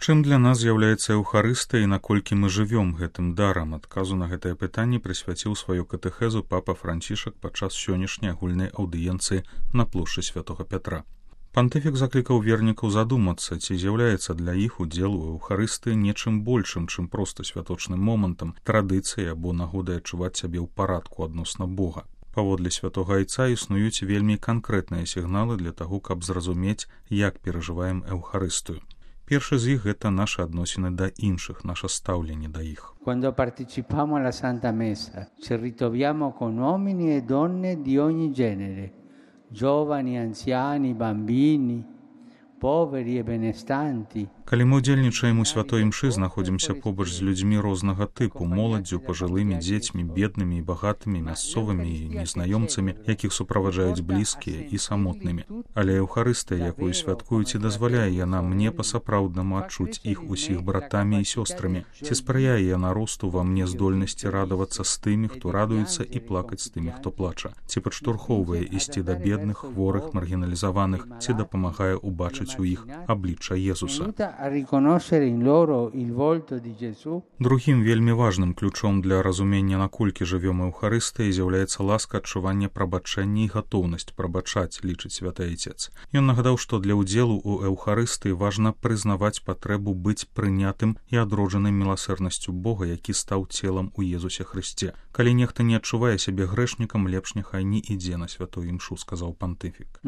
Чым для нас з'яўляецца Еўхарыстыя і наколькі мы жывём гэтым дарам? Адказу на гэтае пытанне прысвяціў сваю катэхезу папа Францішак падчас сённяшняй агульнай аўдыенцыі на плошчы Святога Пятра. Пантыфік заклікаў вернікаў задумацца, ці з'яўляецца для іх удзел у Еўхарыстыі нечым большым, чым проста святочным момантам, традыцыяй або нагодай адчуваць сябе ў парадку адносна Бога. Паводле святога айца існуюць вельмі канкрэтныя сігналы для таго, каб зразумець, як перажываем Еўхарыстыю. Першы з іх – гэта нашы адносіны да іншых, наша стаўленне да іх. Quando partecipiamo alla Santa Messa, ci ritroviamo con uomini e donne di ogni genere, giovani, anziani, bambini, poveri e benestanti. Калі мы ўдзельнічаем у святой імшы, знаходзімся побач з людзьмі рознага тыпу, моладдзю, пажылымі, дзецьмі, беднымі і багатымі, мясцовымі і незнаёмцамі, якіх суправаджаюць блізкія і самотнымі. Але Еўхарыстыя, якую святкуюць, і дазваляе яна мне па-сапраўднаму адчуць іх усіх братамі і сёстрамі. Ці спрыяе яна росту ва мне здольнасці радавацца з тымі, хто радуецца, і плакаць з тымі, хто плача? Ці падштурхоўвае ісці да бедных, хворых, маргіналізаваных, ці дапамагае ўбачыць у іх аблічча Езуса? Другім вельмі важным ключом для разумення, наколькі жывём Еўхарыстыяй, з'яўляецца ласка адчування прабачэння і гатоўнасць прабачаць, лічыць святы айцец. Ён нагадаў, што для ўдзелу ў Еўхарыстыі важна прызнаваць патрэбу быць прынятым і адроджаным міласэрнасцю Бога, які стаў целам у Езусе Хрысце. Калі нехта не адчувае сябе грэшнікам, лепш няхай не ідзе на святую імшу, сказаў пантыфік.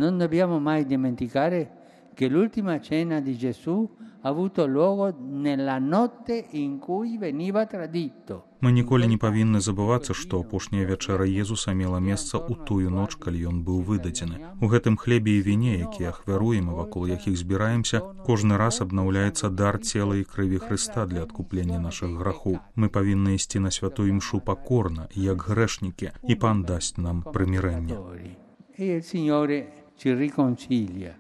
Che l'ultima cena di Gesù ha avuto luogo nella notte in cui veniva tradito. Мы ніколі не павінны забывацца, што апошняя вячэра Езуса мела месца ў тую ноч, калі ён быў выдадзены. У гэтым хлебе і віне, якія ахвяруем і вакол якіх збіраемся, кожны раз абнаўляецца дар цела і крыві Хрыста для адкуплення нашых грахоў. Мы павінны ісці на святую імшу пакорна, як грэшнікі, і пан дасць нам прымірэнне.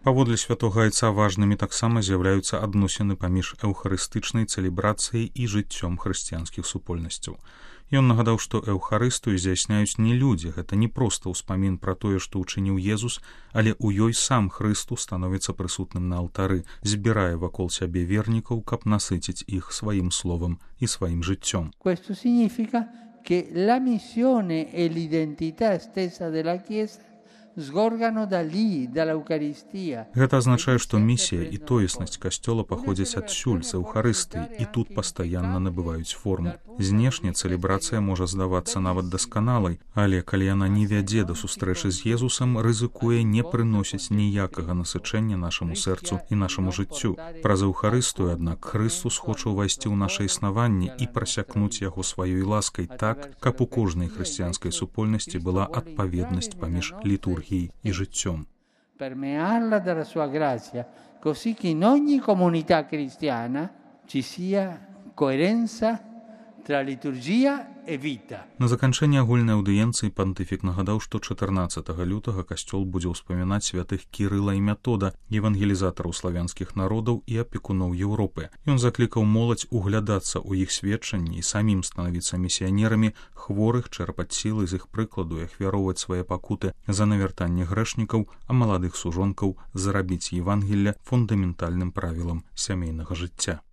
Паводле святога айца важнымі таксама з'яўляюцца адносіны паміж эўхарыстычнай цэлебрацыяй і жыццём хрысціянскіх супольнасцяў. Ён нагадаў, што Еўхарыстыю здзяйсняюць не людзі, гэта не проста ўспамін пра тое, што ўчыніў Езус, але ў ёй сам Хрыстус становіцца прысутным на алтары, збірае вакол сябе вернікаў, каб насыціць іх сваім словам і сваім жыццём. Questo significa che la missione e l'identità stessa della Chiesa Гэта азначае, што місія і тоеснасць касцёла паходзяць адсюль з Еўхарыстыі і тут пастаянна набываюць форму. Знешне цэлебрацыя можа здавацца нават дасканалай, але калі яна не вядзе да сустрэчы з Езусам, рызыкуе не прыносіць ніякага насычэння нашаму сэрцу і нашаму жыццю. Праз Еўхарыстыю, аднак, Хрыстус хоча ўвайсці ў наша існаванне і прасякнуць яго сваёй ласкай так, каб у кожнай хрысціянскай супольнасці была адпаведнасць паміж літургіяй і жыццём. Permearla dalla sua grazia, così che in ogni comunità cristiana ci sia coerenza tra liturgia e vita. На заканчэнне агульнай аўдыенцыі пантыфік нагадаў, што 14 лютага касцёл будзе ўспамінаць святых Кірыла і Метода, евангелізатараў славянскіх народаў і апекуноў Еўропы. Ён заклікаў моладзь углядацца ў іх сведчанні і самім станавіцца місіянерамі, хворых чэрпаць сілы з іх прыкладу і ахвяроўваць свае пакуты за навяртанне грэшнікаў, а маладых сужонкаў зарабіць Евангелля фундаментальным правілам сямейнага жыцця.